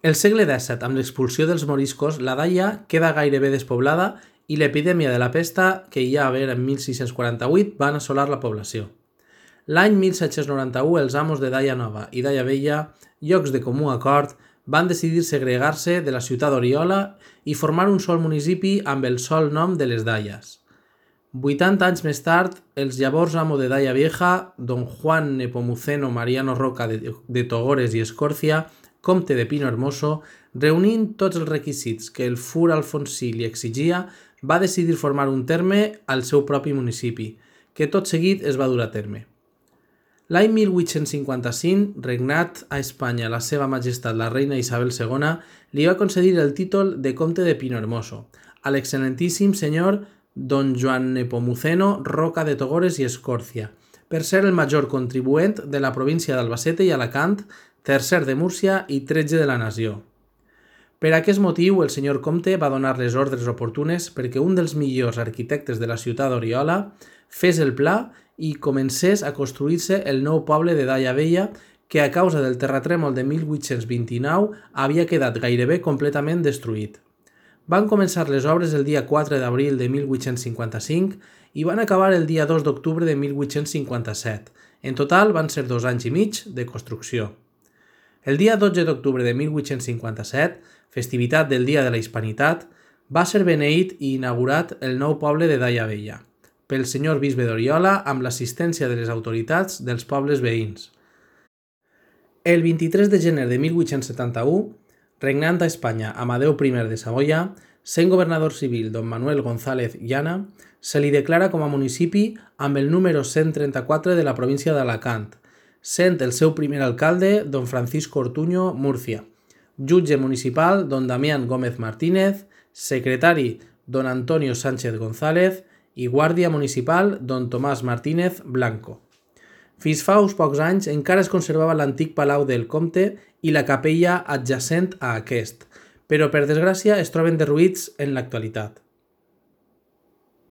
El segle XVII, amb l'expulsió dels moriscos, la Daia queda gairebé despoblada i l'epidèmia de la pesta, que hi ha a haver en 1648, van assolar la població. L'any 1791, els amos de Daia Nova i Daia Vella, llocs de comú acord, van decidir segregar-se de la ciutat d'Oriola i formar un sol municipi amb el sol nom de les Daies. 80 anys més tard, els llavors amo de Daia Vieja, don Juan Nepomuceno Mariano Roca de Togores i Escòrcia, comte de Pino Hermoso, reunint tots els requisits que el fur alfonsí li exigia, va decidir formar un terme al seu propi municipi, que tot seguit es va dur a terme. L'any 1855, regnat a Espanya la seva majestat la reina Isabel II, li va concedir el títol de comte de Pino Hermoso a l'excel·lentíssim senyor don Joan Nepomuceno Roca de Togores i Escòrcia, per ser el major contribuent de la província d'Albacete i Alacant, tercer de Múrcia i 13 de la nació. Per aquest motiu, el senyor comte va donar les ordres oportunes perquè un dels millors arquitectes de la ciutat d'Oriola fes el pla i comencés a construir-se el nou poble de Daia Vella, que a causa del terratrèmol de 1829 havia quedat gairebé completament destruït. Van començar les obres el dia 4 d'abril de 1855 i van acabar el dia 2 d'octubre de 1857. En total van ser 2 anys i mig de construcció. El dia 12 d'octubre de 1857, festivitat del Dia de la Hispanitat, va ser beneït i inaugurat el nou poble de Daia Vella, pel senyor bisbe d'Oriola amb l'assistència de les autoritats dels pobles veïns. El 23 de gener de 1871, regnant a Espanya Amadeu I de Savoia, sent governador civil don Manuel González Llana, se li declara com a municipi amb el número 134 de la província d'Alacant, sent el seu primer alcalde don Francisco Ortuño Murcia, jutge municipal don Damián Gómez Martínez, secretari don Antonio Sánchez González i guàrdia municipal don Tomàs Martínez Blanco. Fins fa uns pocs anys encara es conservava l'antic palau del comte i la capella adjacent a aquest, però per desgràcia es troben derruïts en l'actualitat.